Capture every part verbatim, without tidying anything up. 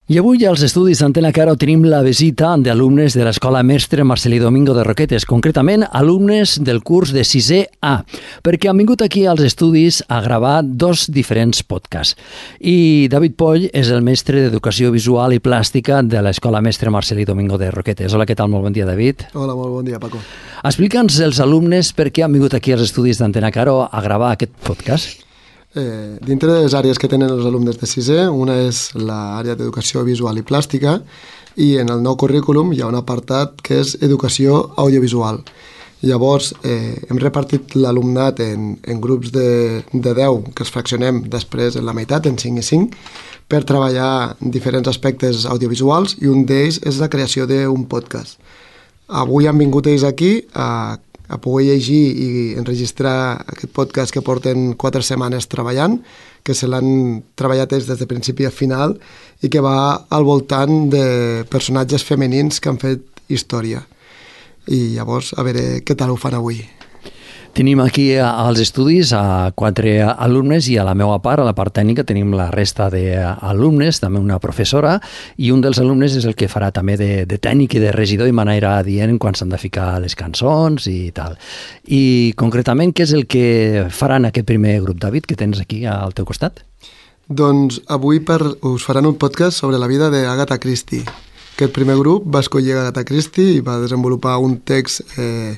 I avui als estudis d'Antena Caro tenim la visita d'alumnes de l'Escola Mestre Marcelí Domingo de Roquetes, concretament alumnes del curs de sisè A, perquè han vingut aquí als estudis a gravar dos diferents podcasts. I David Poll és el mestre d'Educació Visual i Plàstica de l'Escola Mestre Marcelí Domingo de Roquetes. Hola, què tal? Molt bon dia, David. Hola, molt bon dia, Paco. Explica'ns els alumnes per què han vingut aquí als estudis d'Antena Caro a gravar aquest podcast. Eh, dintre de les àrees que tenen els alumnes de sisè, una és l'àrea d'Educació Visual i Plàstica i en el nou currículum hi ha un apartat que és Educació Audiovisual. Llavors eh, hem repartit l'alumnat en, en grups de, de deu que els fraccionem després en la meitat, en cinc i cinc, per treballar diferents aspectes audiovisuals i un d'ells és la creació d'un podcast. Avui han vingut ells aquí a a poder llegir i enregistrar aquest podcast que porten quatre setmanes treballant, que se l'han treballat des de principi a final i que va al voltant de personatges femenins que han fet història. I llavors, a veure què tal ho fan avui. Tenim aquí als estudis a quatre alumnes i a la meva part, a la part tècnica, tenim la resta d'alumnes, també una professora, i un dels alumnes és el que farà també de, de tècnic i de regidor i m'anirà dient quan s'han de ficar les cançons i tal. I concretament, què és el que faran aquest primer grup, David, que tens aquí al teu costat? Doncs avui per, us faran un podcast sobre la vida d'Agatha Christie. Aquest primer grup va escollir Agatha Christie i va desenvolupar un text eh,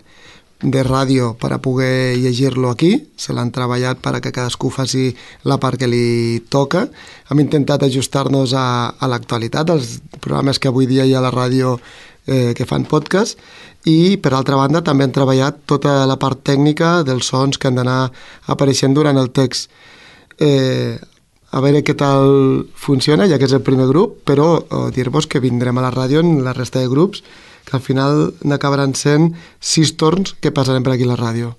de ràdio per a poder llegir-lo aquí. Se l'han treballat per a que cadascú faci la part que li toca. Hem intentat ajustar-nos a, a l'actualitat, als programes que avui dia hi ha a la ràdio eh, que fan podcast, i per altra banda també han treballat tota la part tècnica dels sons que han d'anar apareixent durant el text. Eh, a veure què tal funciona, ja que és el primer grup, però eh, dir-vos que vindrem a la ràdio en la resta de grups, que al final n'acabaran sent sis torns que passarem per aquí a la ràdio.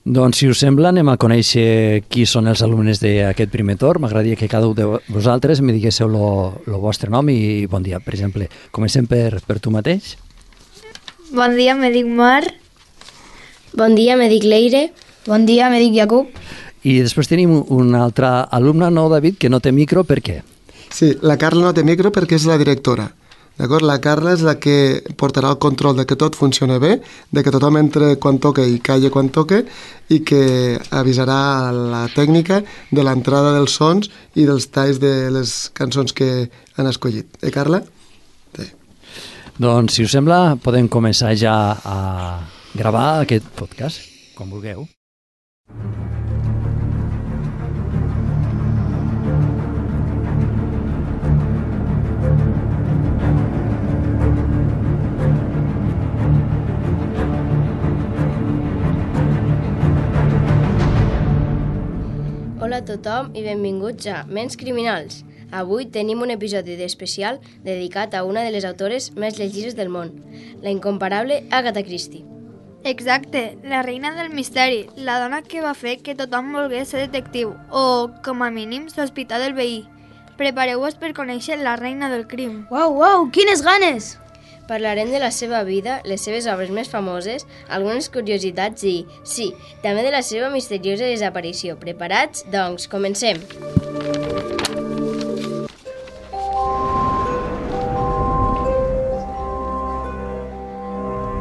Doncs, si us sembla, anem a conèixer qui són els alumnes d'aquest primer torn. M'agradaria que cada un de vosaltres me diguéssiu el vostre nom i bon dia. Per exemple, comencem per, per tu mateix. Bon dia, me dic Mar. Bon dia, me dic Leire. Bon dia, me dic Jacob. I després tenim un altre alumne, no, David, que no té micro. Per què? Sí, la Carla no té micro perquè és la directora. D'acord? La Carla és la que portarà el control de que tot funcioni bé, de que tothom entre quan toca i calli quan toca, i que avisarà la tècnica de l'entrada dels sons i dels talls de les cançons que han escollit. Eh, Carla? Sí. Doncs, si us sembla, podem començar ja a gravar aquest podcast, com vulgueu. Hola a tothom i benvinguts a Ments Criminals. Avui tenim un episodi d'especial dedicat a una de les autores més llegides del món, la incomparable Agatha Christie. Exacte, la reina del misteri, la dona que va fer que tothom volgués ser detectiu, o, com a mínim, sospitar del veí. Prepareu-vos per conèixer la reina del crim. Uau, uau, quines ganes! Parlarem de la seva vida, les seves obres més famoses, algunes curiositats i, sí, també de la seva misteriosa desaparició. Preparats? Doncs, comencem!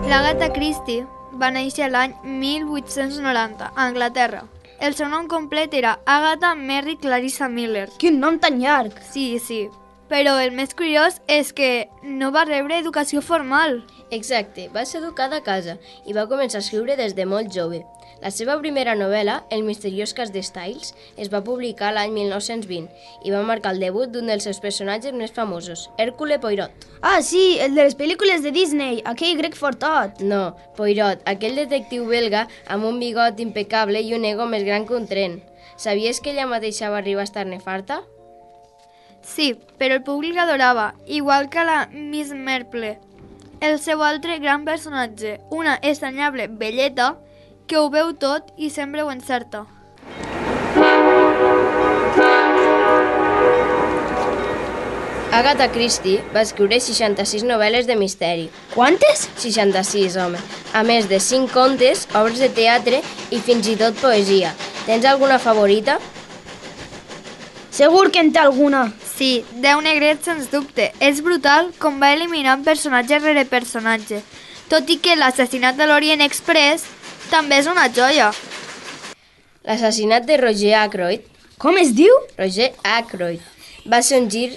L'Agatha Christie va néixer l'any mil vuit-cents noranta, a Anglaterra. El seu nom complet era Agatha Mary Clarissa Miller. Quin nom tan llarg! Sí, sí. Però el més curiós és que no va rebre educació formal. Exacte, va ser educada a casa i va començar a escriure des de molt jove. La seva primera novel·la, El misteriós cas de Styles, es va publicar l'any mil nou-cents vint i va marcar el debut d'un dels seus personatges més famosos, Hercule Poirot. Ah, sí, el de les pel·lícules de Disney, aquell grec fortot. No, Poirot, aquell detectiu belga amb un bigot impecable i un ego més gran que un tren. Sabies que ella mateixa va arribar a estar-ne farta? Sí, però el públic l'adorava, igual que la Miss Marple. El seu altre gran personatge, una estranyable velleta que ho veu tot i sempre ho encerta. Agatha Christie va escriure seixanta-sis novel·les de misteri. Quantes? seixanta-sis, home. A més de cinc contes, obres de teatre i fins i tot poesia. Tens alguna favorita? Segur que en té alguna. Sí, deu negrets sens dubte. És brutal com va eliminant personatge rere personatge. Tot i que l'assassinat de l'Orient Express també és una joia. L'assassinat de Roger Ackroyd, Com es diu? Roger Ackroyd, va ser un gir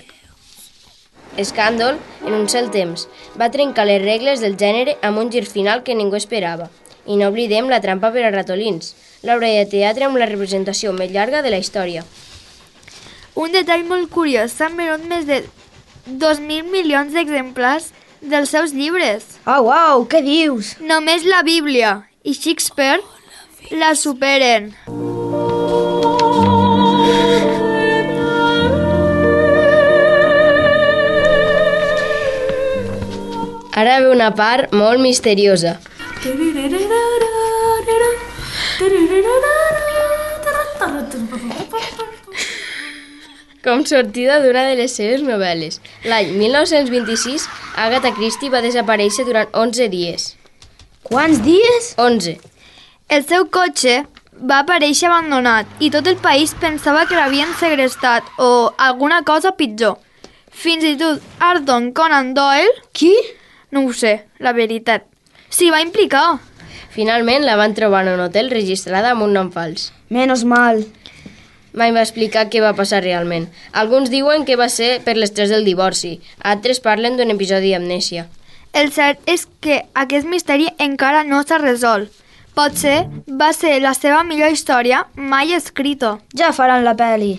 escàndol en un sol temps. Va trencar les regles del gènere amb un gir final que ningú esperava. I no oblidem La trampa per a ratolins, l'obra de teatre amb la representació més llarga de la història. Un detall molt curiós, s'han venut més de dos mil milions d'exemplars dels seus llibres. Oh, wow, què dius? Només la Bíblia i Shakespeare la superen. Ara ve una part molt misteriosa. Com sortida d'una de les seves novel·les. L'any mil nou-cents vint-i-sis, Agatha Christie va desaparèixer durant onze dies. Quants dies? onze. El seu cotxe va aparèixer abandonat i tot el país pensava que l'havien segrestat o alguna cosa pitjor. Fins i tot Arthur Conan Doyle, Qui? no ho sé, la veritat, s'hi va implicar. Finalment la van trobar en un hotel registrada amb un nom fals. Menos mal. Mai va explicar què va passar realment. Alguns diuen que va ser per l'estrès del divorci, altres parlen d'un episodi d'amnèsia. El cert és que aquest misteri encara no s'ha resolt. Potser va ser la seva millor història mai escrita. Ja faran la peli.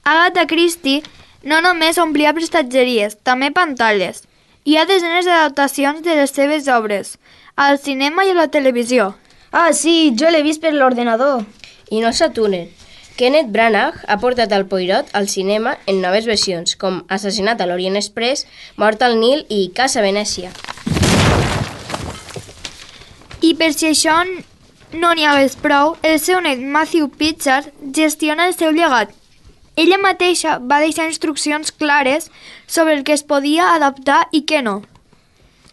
Agatha Christie no només omplia prestatgeries, també pantalles. Hi ha desenes d'adaptacions de les seves obres, al cinema i a la televisió. Ah, sí, jo l'he vist per l'ordenador. I no s'atunen. Kenneth Branagh ha portat el Poirot al cinema en noves versions, com Assassinat a l'Orient Express, Mort al Nil i Casa Venècia. I per si això no n'hi hagués prou, el seu net Matthew Pritchard gestiona el seu llegat. Ella mateixa va deixar instruccions clares sobre el que es podia adaptar i què no.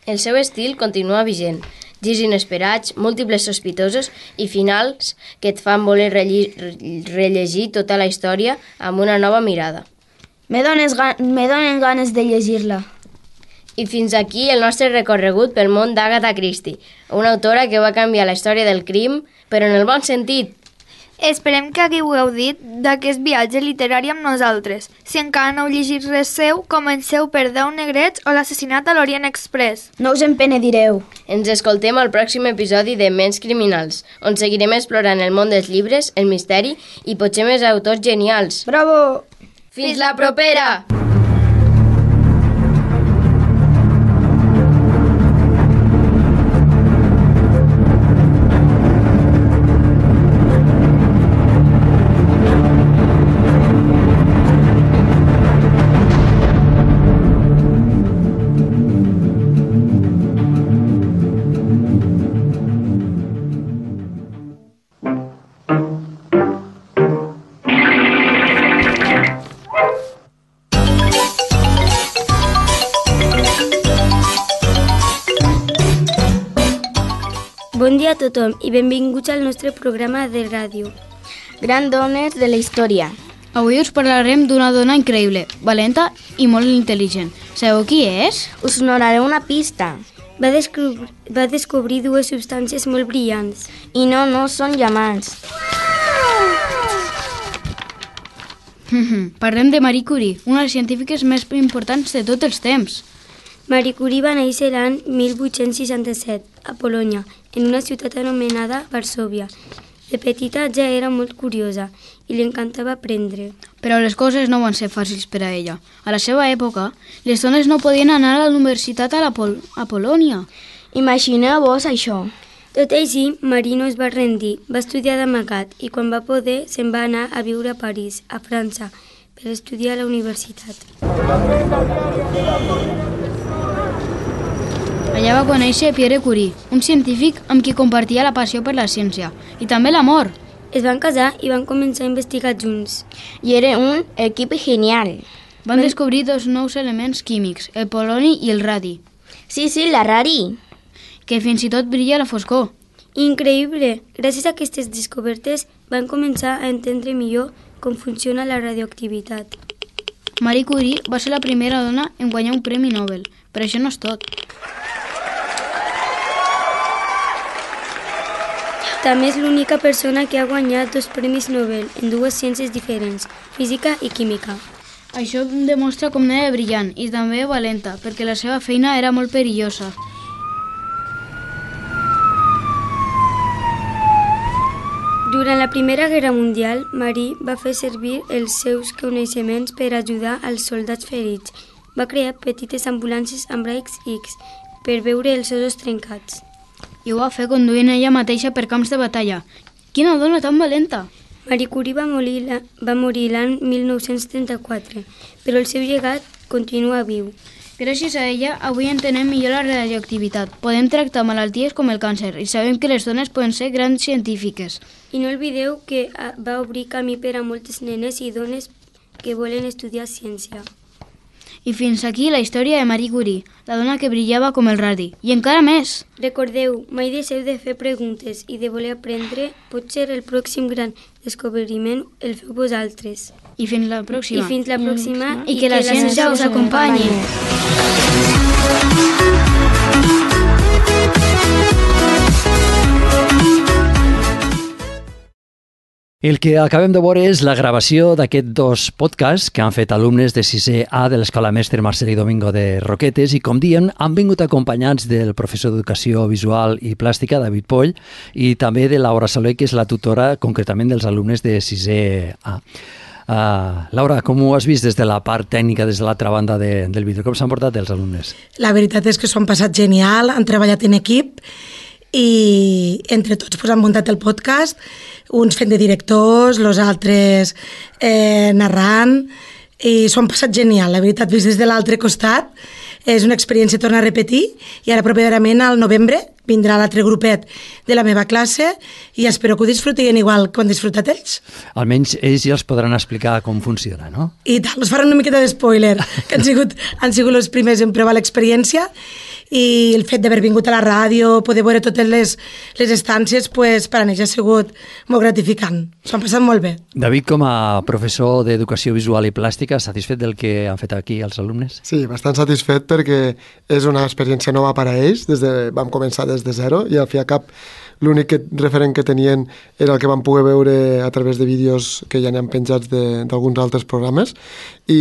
El seu estil continua vigent. Girs inesperats, múltiples sospitosos i finals que et fan voler rellegir tota la història amb una nova mirada. Me dones ga- me donen ganes de llegir-la. I fins aquí el nostre recorregut pel món d'Agatha Christie, una autora que va canviar la història del crim, però en el bon sentit. Esperem que hagueu gaudit d'aquest viatge literari amb nosaltres. Si encara no heu llegit res seu, comenceu per deu negrets o l'assassinat a l'Orient Express. No us en penedireu. Ens escoltem al pròxim episodi de Ments Criminals, on seguirem explorant el món dels llibres, el misteri i potser més autors genials. Bravo! Fins la propera! Bon dia a tothom i benvinguts al nostre programa de ràdio. Gran dones de la història. Avui us parlarem d'una dona increïble, valenta i molt intel·ligent. Sabeu qui és? Us donaré una pista. Va, descobrir, va descobrir dues substàncies molt brillants. I no, no són diamants. Parlem de Marie Curie, una de les científiques més importants de tots els temps. Marie Curie va néixer l'any mil vuit-cents seixanta-set a Polònia, en una ciutat anomenada Varsòvia. De petita ja era molt curiosa i li encantava aprendre. Però les coses no van ser fàcils per a ella. A la seva època, les dones no podien anar a la universitat a, la Pol a Polònia. Imagineu-vos això. Tot i així, Marie no es va rendir, va estudiar d'amagat i quan va poder se'n va anar a viure a París, a França, per estudiar a la universitat. Allà va conèixer Pierre Curie, un científic amb qui compartia la passió per la ciència i també l'amor. Es van casar i van començar a investigar junts. I era un equip genial. Van descobrir dos nous elements químics, el poloni i el radi, Sí, sí, la rari. que fins i tot brilla a la foscor. Increïble! Gràcies a aquestes descobertes van començar a entendre millor com funciona la radioactivitat. Marie Curie va ser la primera dona en guanyar un premi Nobel, però això no és tot. També és l'única persona que ha guanyat dos premis Nobel en dues ciències diferents, física i química. Això demostra com n'era brillant i també valenta, perquè la seva feina era molt perillosa. Durant la Primera Guerra Mundial, Marie va fer servir els seus coneixements per ajudar als soldats ferits. Va crear petites ambulàncies amb raigs X per veure els ossos trencats. I ho va fer conduint ella mateixa per camps de batalla. Quina dona tan valenta! Marie Curie va morir, la, va morir l'any mil nou-cents trenta-quatre, però el seu llegat continua viu. Gràcies a ella, avui entenem millor la radioactivitat. Podem tractar malalties com el càncer i sabem que les dones poden ser grans científiques. I no oblideu que va obrir camí per a moltes nenes i dones que volen estudiar ciència. I fins aquí la història de Marie Curie, la dona que brillava com el radi. I encara més! Recordeu, mai deixeu de fer preguntes i de voler aprendre. Potser el pròxim gran descobriment el feu vosaltres. I fins la pròxima. I fins la pròxima. I, I que la ciència us acompanyi. El que acabem de veure és la gravació d'aquests dos podcasts que han fet alumnes de sisè A de l'Escola Mestre Marcelí Domingo de Roquetes i, com diem, han vingut acompanyats del professor d'Educació Visual i Plàstica, David Poll, i també de Laura Soler, que és la tutora concretament dels alumnes de sisè A. Uh, Laura, com ho has vist des de la part tècnica, des de l'altra banda de, del vídeo? Com s'han portat els alumnes? La veritat és que s'ho han passat genial, han treballat en equip i entre tots pues, han muntat el podcast, uns fent de directors, els altres eh, narrant, i s'ho han passat genial. La veritat, vist des de l'altre costat, és una experiència a tornar a repetir, i ara properament al novembre vindrà l'altre grupet de la meva classe i espero que ho disfrutin igual que ho han disfrutat ells. Almenys ells ja els podran explicar com funciona, no? I tal, us faran una miqueta d'espoiler, que han sigut, han sigut els primers en provar l'experiència, i el fet d'haver vingut a la ràdio, poder veure totes les, les estàncies, pues, per a ells ha sigut molt gratificant. S'ho han passat molt bé. David, com a professor d'Educació Visual i Plàstica, satisfet del que han fet aquí els alumnes? Sí, bastant satisfet perquè és una experiència nova per a ells. Des de, vam començar des de zero i al fi i al cap l'únic referent que tenien era el que van poder veure a través de vídeos que ja n'hi han penjats d'alguns altres programes i,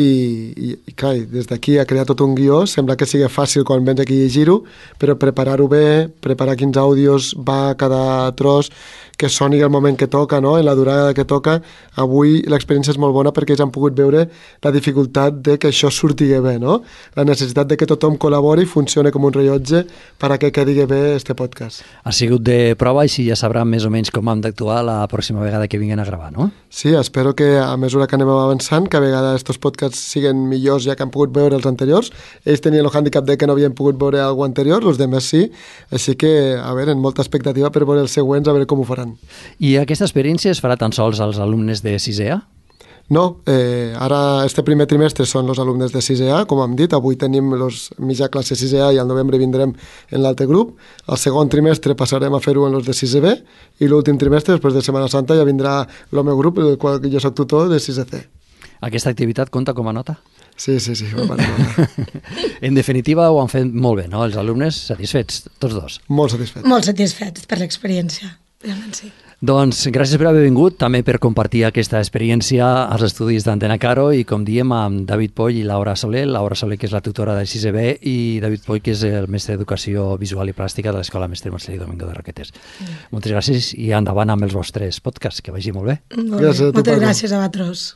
i, i clar, des d'aquí a crear tot un guió sembla que sigui fàcil quan vens aquí a llegir-ho, però preparar-ho bé, preparar quins àudios va a cada tros, que soni el moment que toca, no? En la durada que toca. Avui l'experiència és molt bona perquè ells han pogut veure la dificultat de que això surti bé, no? La necessitat de que tothom col·labori i funcioni com un rellotge per a que quedi bé este podcast. Ha sigut de prova i si ja sabran més o menys com hem d'actuar la pròxima vegada que vinguin a gravar, no? Sí, espero que a mesura que anem avançant, que a vegades estos podcasts siguen millors ja que han pogut veure els anteriors. Ells tenien el hàndicap de que no havien pogut veure algú anterior, els demés sí, així que, a veure, en molta expectativa per veure els següents, a veure com ho faran. I aquesta experiència es farà tan sols als alumnes de sisè A? No, eh, ara este primer trimestre són els alumnes de sisè A, com hem dit, avui tenim els mitja classe sisè A i al novembre vindrem en l'altre grup. El segon trimestre passarem a fer-ho en els de sisè B i l'últim trimestre, després de Setmana Santa, ja vindrà el meu grup, el qual jo soc tutor, de sisè C. Aquesta activitat compta com a nota? Sí, sí, sí. Va nota. En definitiva, ho han fet molt bé, no? Els alumnes satisfets, tots dos. Molt satisfets. Molt satisfets per l'experiència, realment sí. Doncs gràcies per haver vingut, també per compartir aquesta experiència als estudis d'Antena Caro i, com diem, amb David Poll i Laura Soler. Laura Soler, que és la tutora de sisè B, i David Poll, que és el mestre d'Educació Visual i Plàstica de l'Escola Mestre Marcelí Domingo de Roquetes. Mm. Moltes gràcies i endavant amb els vostres podcasts, que vagi molt bé. Molt bé. Moltes gràcies a vosaltres.